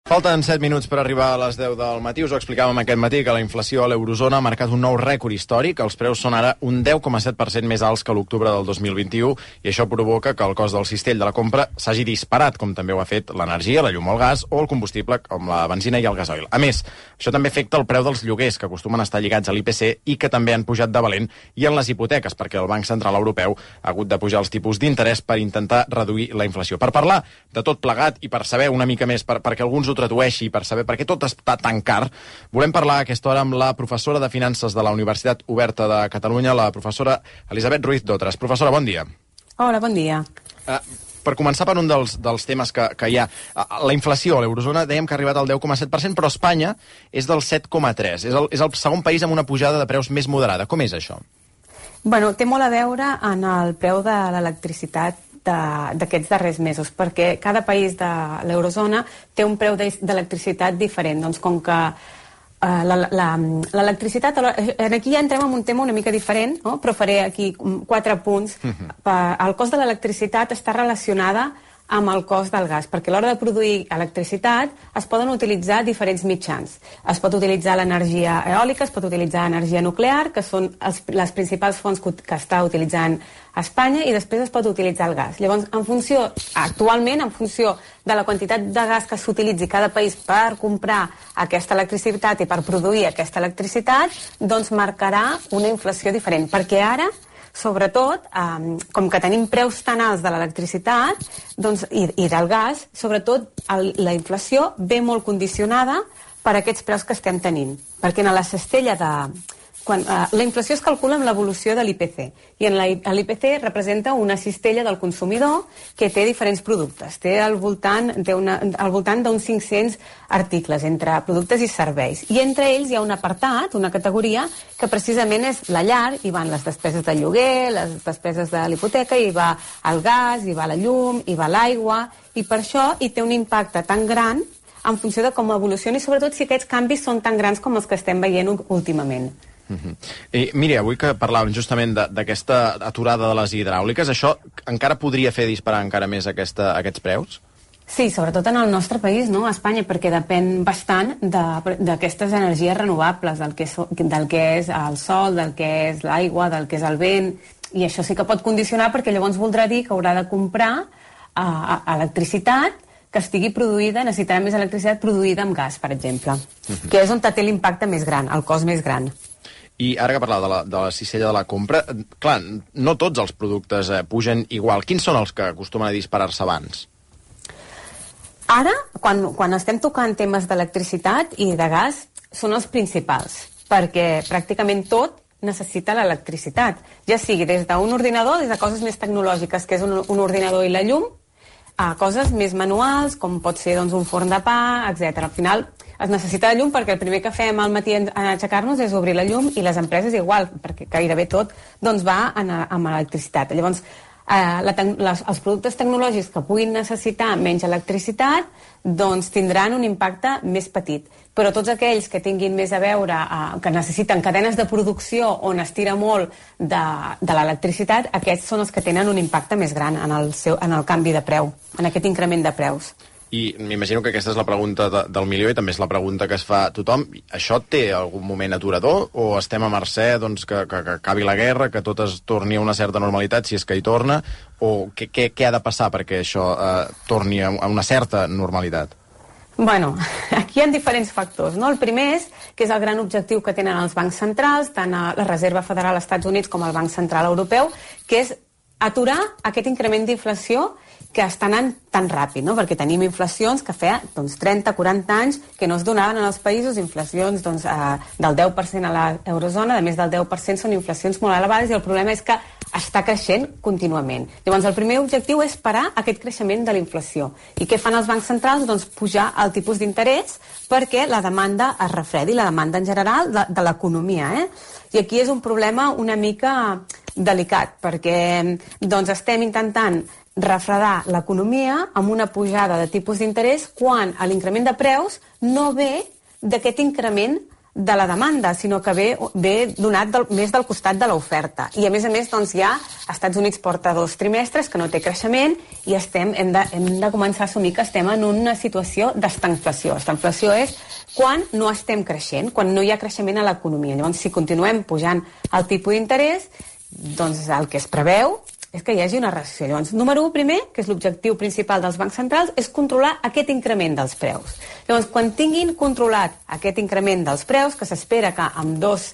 Falten 7 minuts per arribar a les 10 del matí. Us ho explicàvem aquest matí que la inflació a l'eurozona ha marcat un nou rècord històric. Els preus són ara un 10,7% més alts que l'octubre del 2021 i això provoca que el cost del cistell de la compra s'hagi disparat, com també ho ha fet l'energia, la llum o el gas o el combustible com la benzina i el gasoil. A més, això també afecta el preu dels lloguers, que acostumen a estar lligats a l'IPC i que també han pujat de valent, i en les hipoteques, perquè el Banc Central Europeu ha hagut de pujar els tipus d'interès per intentar reduir la inflació. Per parlar de tot plegat i per saber una mica més, perquè alguns ho tradueixi, per saber per què tot està tan car, volem parlar a aquesta hora amb la professora de Finances de la Universitat Oberta de Catalunya, la professora Elisabet Ruiz d'Otres. Professora, bon dia. Hola, bon dia. Per començar per un dels temes que hi ha, la inflació a l'eurozona dèiem que ha arribat al 10,7%, però Espanya és del 7,3%. És el segon país amb una pujada de preus més moderada. Com és això? Bueno, té molt a veure en el preu de l'electricitat d'aquests darrers mesos, perquè cada país de l'eurozona té un preu d'electricitat diferent. Doncs com que l'electricitat... Aquí ja entrem en un tema una mica diferent, no? Però faré aquí 4 punts. El cost de l'electricitat està relacionada amb el cost del gas, perquè a l'hora de produir electricitat es poden utilitzar diferents mitjans. Es pot utilitzar l'energia eòlica, es pot utilitzar l'energia nuclear, que són les principals fonts que està utilitzant Espanya, i després es pot utilitzar el gas. Llavors, actualment, en funció de la quantitat de gas que s'utilitzi cada país per comprar aquesta electricitat i per produir aquesta electricitat, doncs marcarà una inflació diferent, perquè ara, sobretot, com que tenim preus tan alts de l'electricitat i del gas, sobretot la inflació ve molt condicionada per aquests preus que estem tenint. Perquè en la cistella la inflació es calcula amb l'evolució de l'IPC, i l'IPC representa una cistella del consumidor que té diferents productes. Té al voltant d'uns 500 articles entre productes i serveis. I entre ells hi ha un apartat, una categoria, que precisament és la llar, i van les despeses de lloguer, les despeses de l'hipoteca, i va el gas, i va la llum, i va l'aigua, i per això hi té un impacte tan gran en funció de com evolucioni, i sobretot si aquests canvis són tan grans com els que estem veient últimament. Miri, avui que parlàvem justament d'aquesta aturada de les hidràuliques, això encara podria fer disparar encara més aquests preus? Sí, sobretot en el nostre país, no? A Espanya, perquè depèn bastant d'aquestes energies renovables, del que és el sol, del que és l'aigua, del que és el vent, i això sí que pot condicionar, perquè llavors voldrà dir que haurà de comprar electricitat que estigui produïda, necessitarà més electricitat produïda amb gas, per exemple, que és on té l'impacte més gran, el cost més gran. I ara que parlava de la cistella de la compra, clar, no tots els productes pugen igual. Quins són els que acostumen a disparar-se abans? Ara, quan estem tocant temes d'electricitat i de gas, són els principals, perquè pràcticament tot necessita l'electricitat, ja sigui des d'un ordinador, des de coses més tecnològiques, que és un ordinador i la llum, a coses més manuals, com pot ser un forn de pa, etc. Al final es necessita la llum perquè el primer que fem al matí en aixecar-nos és obrir la llum, i les empreses igual, perquè gairebé tot va amb electricitat. Llavors, els productes tecnològics que puguin necessitar menys electricitat tindran un impacte més petit. Però tots aquells que tinguin més a veure, que necessiten cadenes de producció on es tira molt de l'electricitat, aquests són els que tenen un impacte més gran en el canvi de preu, en aquest increment de preus. I m'imagino que aquesta és la pregunta del milió i també és la pregunta que es fa tothom. Això té algun moment aturador o estem a mercè que acabi la guerra, que tot es torni a una certa normalitat, si és que hi torna, o què ha de passar perquè això torni a una certa normalitat? Bueno, aquí hi ha diferents factors, no? El primer és que és el gran objectiu que tenen els bancs centrals, tant la Reserva Federal als Estats Units com el Banc Central Europeu, que és aturar aquest increment d'inflació que està anant tan ràpid, no? Perquè tenim inflacions que feia 30-40 anys que no es donaven en els països, inflacions del 10% a l'eurozona, a més del 10% són inflacions molt elevades, i el problema és que està creixent contínuament. Llavors, el primer objectiu és parar aquest creixement de la inflació. I què fan els bancs centrals? Doncs pujar el tipus d'interès perquè la demanda es refredi, la demanda en general de l'economia. I aquí és un problema una mica delicat, perquè estem intentant refredar l'economia amb una pujada de tipus d'interès quan l'increment de preus no ve d'aquest increment de la demanda, sinó que ve donat més del costat de l'oferta. I a més, doncs, hi ha Estats Units porta 2 trimestres que no té creixement i hem de començar a assumir que estem en una situació d'estanflació. Estanflació és quan no estem creixent, quan no hi ha creixement a l'economia. Llavors, si continuem pujant el tipus d'interès, doncs el que es preveu és que hi hagi una recessió. Llavors, número 1, primer, que és l'objectiu principal dels bancs centrals, és controlar aquest increment dels preus. Llavors, quan tinguin controlat aquest increment dels preus, que s'espera que amb 2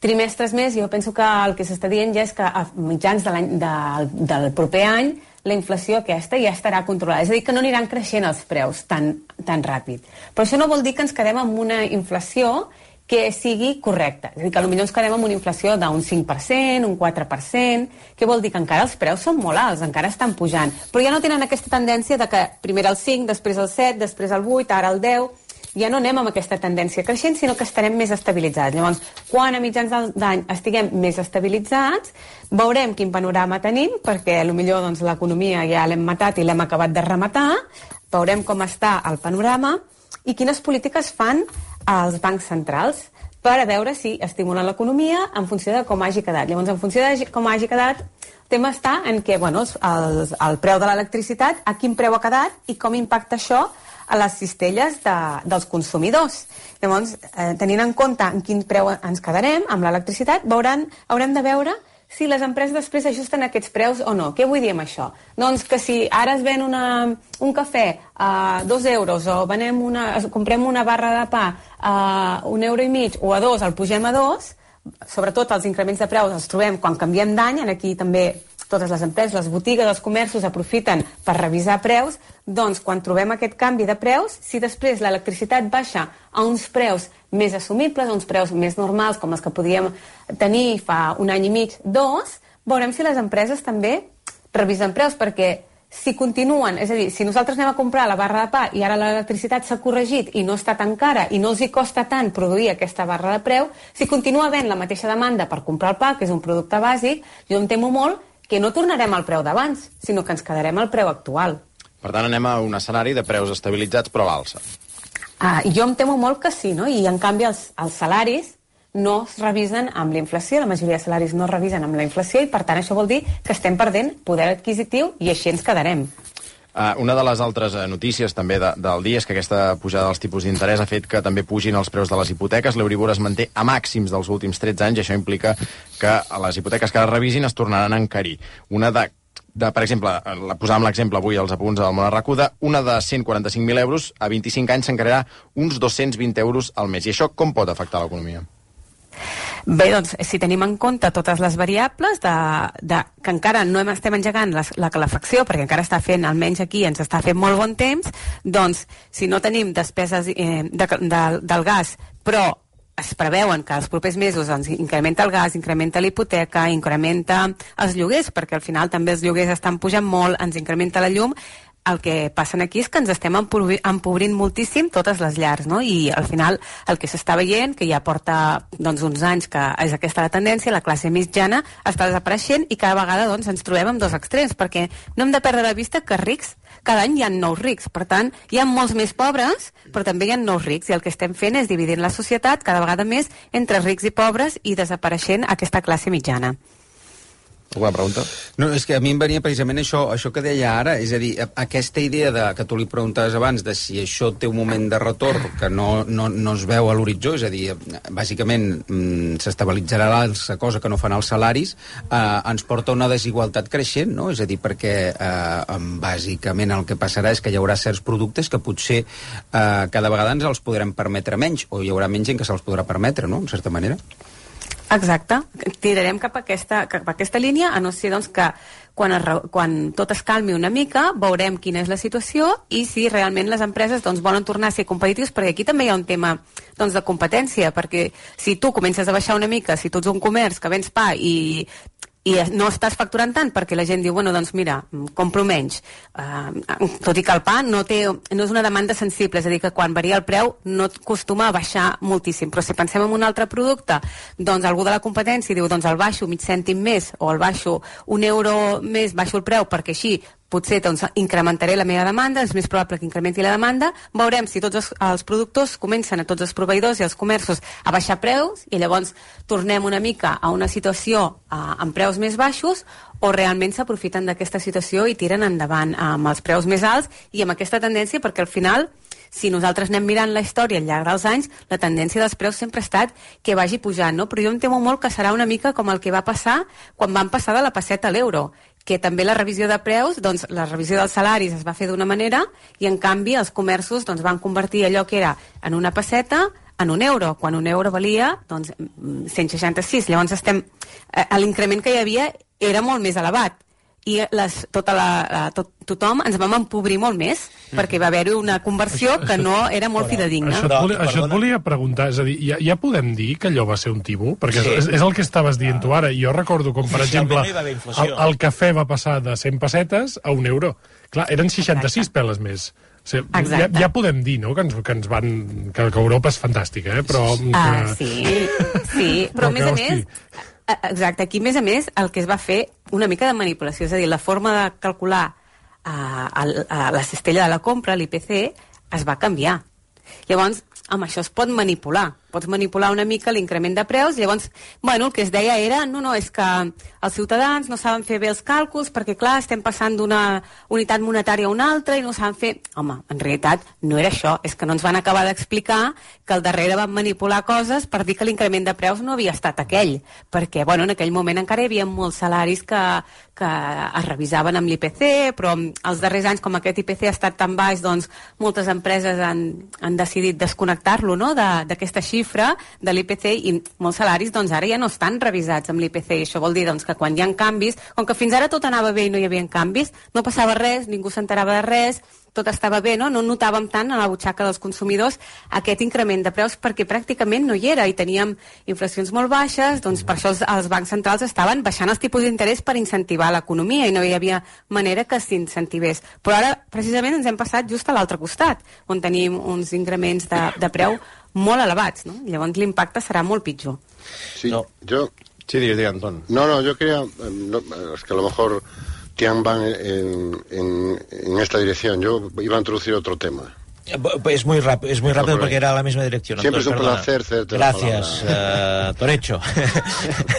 trimestres més, jo penso que el que s'està dient ja és que a mitjans del proper any la inflació aquesta ja estarà controlada. És a dir, que no aniran creixent els preus tan ràpid. Però això no vol dir que ens quedem amb una inflació que sigui correcta. És a dir, que potser ens quedem amb una inflació d'un 5%, un 4%, que vol dir que encara els preus són molt alts, encara estan pujant. Però ja no tenen aquesta tendència de que primer el 5, després el 7, després el 8, ara el 10... Ja no anem amb aquesta tendència creixent, sinó que estarem més estabilitzats. Llavors, quan a mitjans d'any estiguem més estabilitzats, veurem quin panorama tenim, perquè potser doncs, l'economia ja l'hem matat i l'hem acabat de rematar, veurem com està el panorama i quines polítiques fan els bancs centrals per a veure si estimulen l'economia en funció de com hagi quedat. Llavors, en funció de com hagi quedat, el tema està en què el preu de l'electricitat, a quin preu ha quedat i com impacta això a les cistelles dels consumidors. Llavors, tenint en compte en quin preu ens quedarem amb l'electricitat, haurem de veure si les empreses després ajusten aquests preus o no. Què vull dir amb això? Doncs que si ara es ven un cafè a 2 euros o comprem una barra de pa a 1,5 euros o a 2, el pugem a 2, sobretot els increments de preus els trobem quan canviem d'any, aquí també totes les empreses, les botigues, els comerços aprofiten per revisar preus, doncs quan trobem aquest canvi de preus, si després l'electricitat baixa a uns preus més assumibles, a uns preus més normals, com els que podíem tenir fa un any i mig, 2, veurem si les empreses també revisen preus, perquè si continuen, és a dir, si nosaltres anem a comprar la barra de pa i ara l'electricitat s'ha corregit i no està tan cara i no els hi costa tant produir aquesta barra de preu, si continua havent la mateixa demanda per comprar el pa, que és un producte bàsic, jo em temo molt que no tornarem al preu d'abans, sinó que ens quedarem al preu actual. Per tant, anem a un escenari de preus estabilitzats però a l'alça. Jo em temo molt que sí, no? I en canvi els salaris no es revisen amb la inflació, la majoria de salaris no es revisen amb la inflació i per tant això vol dir que estem perdent poder adquisitiu i així ens quedarem. Una de les altres notícies també del dia és que aquesta pujada dels tipus d'interès ha fet que també pugin els preus de les hipoteques. L'Euribor es manté a màxims dels últims 13 anys i això implica que les hipoteques que es revisin es tornaran a encarir. Per exemple, posàvem l'exemple avui als apunts del Món Arracuda, una de 145.000 euros a 25 anys s'encararà uns 220 euros al mes. I això com pot afectar l'economia? Bé, doncs, si tenim en compte totes les variables que encara no estem engegant la calefacció, perquè encara està fent, almenys aquí, ens està fent molt bon temps, doncs, si no tenim despeses del gas, però es preveuen que els propers mesos doncs, incrementa el gas, incrementa la hipoteca, incrementa els lloguers, perquè al final també els lloguers estan pujant molt, ens incrementa la llum, el que passa aquí és que ens estem empobrint moltíssim totes les llars, no? I al final el que s'està veient, que ja porta uns anys que és aquesta la tendència, la classe mitjana està desapareixent i cada vegada ens trobem amb 2 extrems, perquè no hem de perdre de vista que rics, cada any hi ha nous rics, per tant hi ha molts més pobres, però també hi ha nous rics i el que estem fent és dividint la societat cada vegada més entre rics i pobres i desapareixent aquesta classe mitjana. Alguna pregunta? No, és que a mi em venia precisament això que deia ara, és a dir, aquesta idea que tu li preguntaves abans de si això té un moment de retorn que no es veu a l'horitzó, és a dir, bàsicament s'estabilitzarà l'alça, cosa que no fan els salaris, ens porta a una desigualtat creixent, no? És a dir, perquè bàsicament el que passarà és que hi haurà certs productes que potser cada vegada ens els podrem permetre menys, o hi haurà menys gent que se'ls podrà permetre, no?, en certa manera. Exacte, tirarem cap a aquesta línia, a no ser que quan tot es calmi una mica veurem quina és la situació i si realment les empreses volen tornar a ser competitius, perquè aquí també hi ha un tema de competència, perquè si tu comences a baixar una mica, si tu ets un comerç que vens pa i no estàs facturant tant perquè la gent diu, bueno, doncs mira, compro menys. Tot i que el pa no és una demanda sensible, és a dir, que quan varia el preu no acostuma a baixar moltíssim. Però si pensem en un altre producte, doncs algú de la competència diu, doncs el baixo mig cèntim més o el baixo 1 euro més, baixo el preu perquè així potser doncs, incrementaré la meva demanda, és més probable que incrementi la demanda, veurem si tots els productors comencen a tots els proveïdors i els comerços a baixar preus i llavors tornem una mica a una situació amb preus més baixos o realment s'aprofiten d'aquesta situació i tiren endavant amb els preus més alts i amb aquesta tendència, perquè al final, si nosaltres anem mirant la història al llarg dels anys, la tendència dels preus sempre ha estat que vagi pujant, no? Però jo em temo molt que serà una mica com el que va passar quan van passar de la pesseta a l'euro, que també la revisió de preus, doncs la revisió dels salaris es va fer d'una manera i en canvi els comerços doncs, van convertir allò que era en una pesseta en un euro, quan un euro valia doncs, 166. Llavors l'increment que hi havia era molt més elevat i tothom ens vam empobrir molt més perquè va haver-hi una conversió que no era molt fidedigna. Això et volia preguntar, és a dir, ja podem dir que allò va ser un timo? Perquè és el que estaves dient tu ara. Jo recordo com, per exemple, el cafè va passar de 100 pessetes a un euro. Clar, eren 66 peles més. O sigui, ja podem dir, no?, que Europa és fantàstica, però... Sí, però a més a més... Exacte, aquí a més el que es va fer una mica de manipulació, és a dir, la forma de calcular la cistella de la compra, l'IPC, es va canviar. Llavors, amb això es pot manipular. Pots manipular una mica l'increment de preus, llavors, el que es deia era, no, és que els ciutadans no saben fer bé els càlculs perquè, clar, estem passant d'una unitat monetària a una altra i no saben fer... Home, en realitat no era això, és que no ens van acabar d'explicar que al darrere van manipular coses per dir que l'increment de preus no havia estat aquell, perquè, en aquell moment encara hi havia molts salaris que es revisaven amb l'IPC, però els darrers anys, com aquest IPC ha estat tan baix, doncs moltes empreses han decidit desconnectar-lo, no?, d'aquesta xifra de l'IPC i molts salaris doncs ara ja no estan revisats amb l'IPC i això vol dir doncs que quan hi ha canvis, com que fins ara tot anava bé i no hi havia canvis, no passava res, ningú s'enterava de res, tot estava bé, no notàvem tant a la butxaca dels consumidors aquest increment de preus perquè pràcticament no hi era i teníem inflacions molt baixes, doncs per això els bancs centrals estaven baixant els tipus d'interès per incentivar l'economia i no hi havia manera que s'incentivés. Però ara precisament ens hem passat just a l'altre costat, on tenim uns increments de preu molt elevats, ¿no? Llavors l'impacte serà molt pitjor. Sí, Sí, digue, Anton. No, yo quería... es que a lo mejor Tian van en esta dirección. Yo iba a introducir otro tema. Es muy rápido porque era la misma dirección. Siempre es un placer hacerte la palabra. Gracias, Torecho.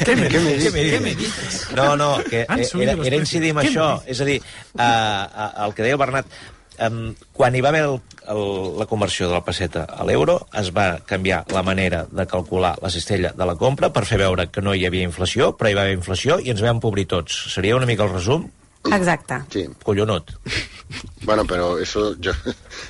¿Qué me dices? No, que era incidir en això. És a dir, el que deia Bernat, quan hi va haver la conversió de la pesseta a l'euro, es va canviar la manera de calcular la cistella de la compra per fer veure que no hi havia inflació, però hi va haver inflació i ens vam empobrir tots. Seria una mica el resum? Exacte. Sí. Collonut. Bueno, pero eso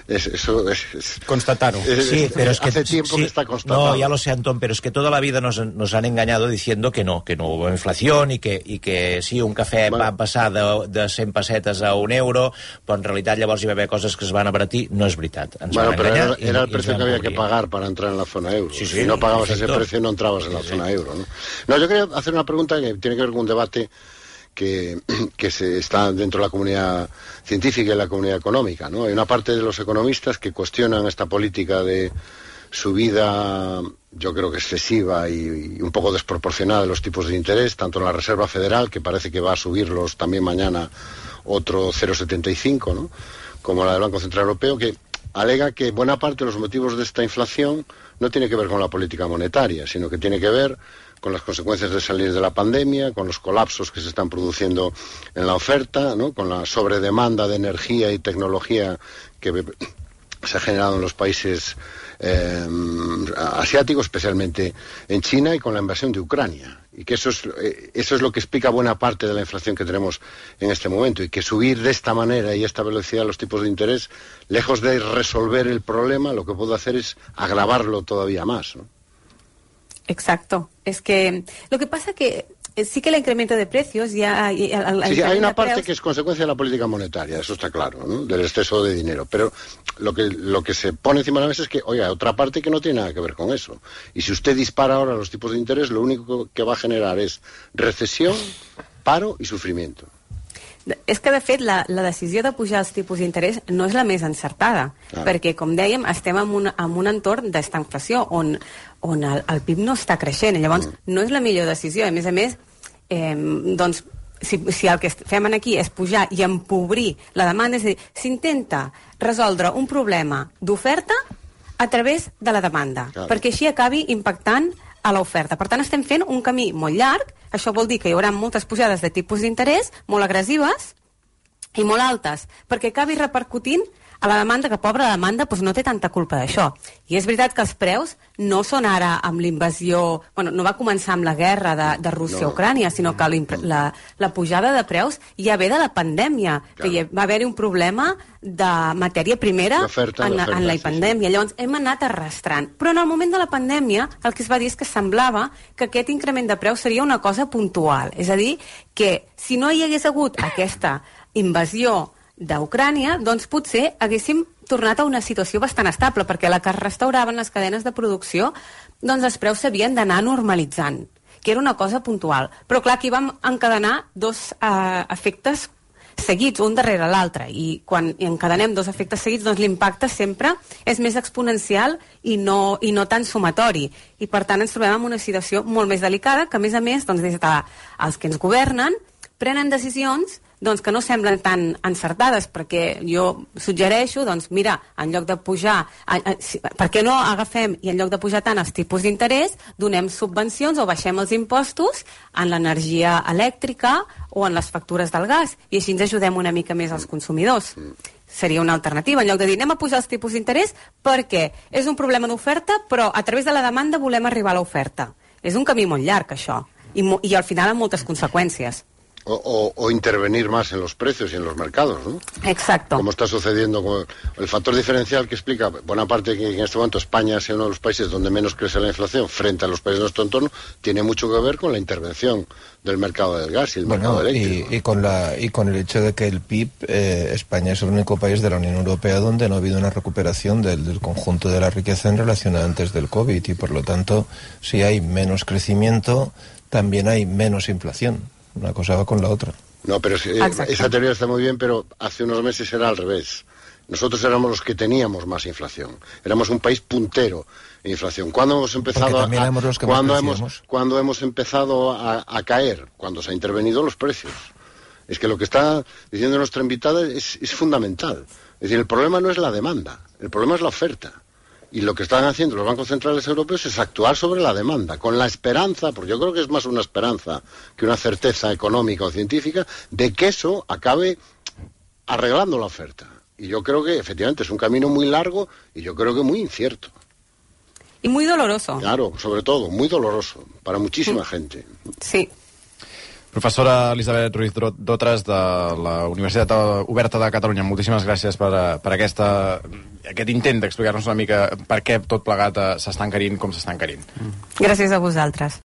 es constatarlo. Sí, pero es que hace tiempo que está constatado. No, ya lo sé, Antón, pero es que toda la vida nos han engañado diciendo que no hubo inflación y que sí, un cafè va passar de 100 pessetes a un euro, però en realitat llavors hi va haver coses que es van abaratir. No és veritat. Pero era el precio que había que pagar para entrar en la zona euro. Sí, si no pagabas ese precio no entrabas en la zona euro, ¿no? No, yo quería hacer una pregunta que tiene que ver con un debate que se está dentro de la comunidad científica y la comunidad económica, ¿no? Hay una parte de los economistas que cuestionan esta política de subida, yo creo que excesiva y un poco desproporcionada de los tipos de interés, tanto en la Reserva Federal, que parece que va a subirlos también mañana otro 0,75, ¿no?, como la del Banco Central Europeo, que alega que buena parte de los motivos de esta inflación no tiene que ver con la política monetaria, sino que tiene que ver con las consecuencias de salir de la pandemia, con los colapsos que se están produciendo en la oferta, ¿no?, con la sobredemanda de energía y tecnología que se ha generado en los países asiáticos, especialmente en China, y con la invasión de Ucrania. Y que eso es lo que explica buena parte de la inflación que tenemos en este momento. Y que subir de esta manera y a esta velocidad los tipos de interés, lejos de resolver el problema, lo que puede hacer es agravarlo todavía más, ¿no? Exacto. Es que lo que pasa que sí que el incremento de precios ya... Sí, hay una parte que es consecuencia de la política monetaria, eso está claro, ¿no?, del exceso de dinero. Pero lo que se pone encima de la mesa es que, oiga, otra parte que no tiene nada que ver con eso. Y si usted dispara ahora los tipos de interés, lo único que va a generar es recesión, paro y sufrimiento. És que, de fet, la decisió de pujar els tipus d'interès no és la més encertada, perquè, com dèiem, estem en un entorn d'estanflació on el PIB no està creixent. Llavors, no és la millor decisió. A més, doncs, si el que fem aquí és pujar i empobrir la demanda, és a dir, s'intenta resoldre un problema d'oferta a través de la demanda, perquè així acabi impactant a l'oferta. Per tant, estem fent un camí molt llarg. Això vol dir que hi haurà moltes pujades de tipus d'interès, molt agressives i molt altes, perquè acabi repercutint a la demanda, que pobra demanda doncs no té tanta culpa d'això. I és veritat que els preus no són ara amb l'invasió... Bueno, no va començar amb la guerra de Rússia a Ucrània, sinó que la pujada de preus ja ve de la pandèmia, que va haver-hi un problema de matèria primera en la pandèmia. Llavors hem anat arrastrant. Però en el moment de la pandèmia el que es va dir és que semblava que aquest increment de preus seria una cosa puntual. És a dir, que si no hi hagués hagut aquesta invasió d'Ucrània, doncs potser haguéssim tornat a una situació bastant estable, perquè la que es restauraven les cadenes de producció, doncs els preus s'havien d'anar normalitzant, que era una cosa puntual. Però clar, aquí vam encadenar dos efectes seguits, un darrere l'altre, i quan encadenem dos efectes seguits, doncs l'impacte sempre és més exponencial i no tan sumatori. I per tant ens trobem en una situació molt més delicada, que a més, doncs, des dels que ens governen prenen decisions doncs, que no semblen tan encertades, perquè jo suggereixo, doncs, mira, en lloc de pujar, per què no agafem i en lloc de pujar tant els tipus d'interès, donem subvencions o baixem els impostos en l'energia elèctrica o en les factures del gas, i així ens ajudem una mica més als consumidors. Seria una alternativa, en lloc de dir anem a pujar els tipus d'interès perquè és un problema d'oferta, però a través de la demanda volem arribar a l'oferta. És un camí molt llarg, això, i al final amb moltes conseqüències. O intervenir más en los precios y en los mercados, ¿no? Exacto. Como está sucediendo con el factor diferencial que explica buena parte que en este momento España sea uno de los países donde menos crece la inflación frente a los países de nuestro entorno, tiene mucho que ver con la intervención del mercado del gas y el mercado eléctrico. Y con el hecho de que el PIB, España es el único país de la Unión Europea donde no ha habido una recuperación del conjunto de la riqueza en relación a antes del COVID, y por lo tanto, si hay menos crecimiento, también hay menos inflación. Una cosa va con la otra. No, pero esa teoría está muy bien, pero hace unos meses era al revés. Nosotros éramos los que teníamos más inflación. Éramos un país puntero en inflación. ¿Cuándo hemos empezado cuando hemos empezado a caer? Cuando se han intervenido los precios. Es que lo que está diciendo nuestra invitada es fundamental. Es decir, el problema no es la demanda, el problema es la oferta. Y lo que están haciendo los bancos centrales europeos es actuar sobre la demanda, con la esperanza, porque yo creo que es más una esperanza que una certeza económica o científica, de que eso acabe arreglando la oferta. Y yo creo que efectivamente es un camino muy largo y yo creo que muy incierto. Y muy doloroso. Claro, sobre todo, muy doloroso para muchísima gente. Sí. Professora Elisabet Ruiz Dotres, de la Universitat Oberta de Catalunya, moltíssimes gràcies per aquest intent d'explicar-nos una mica per què tot plegat s'està encarint com s'està encarint. Gràcies a vosaltres.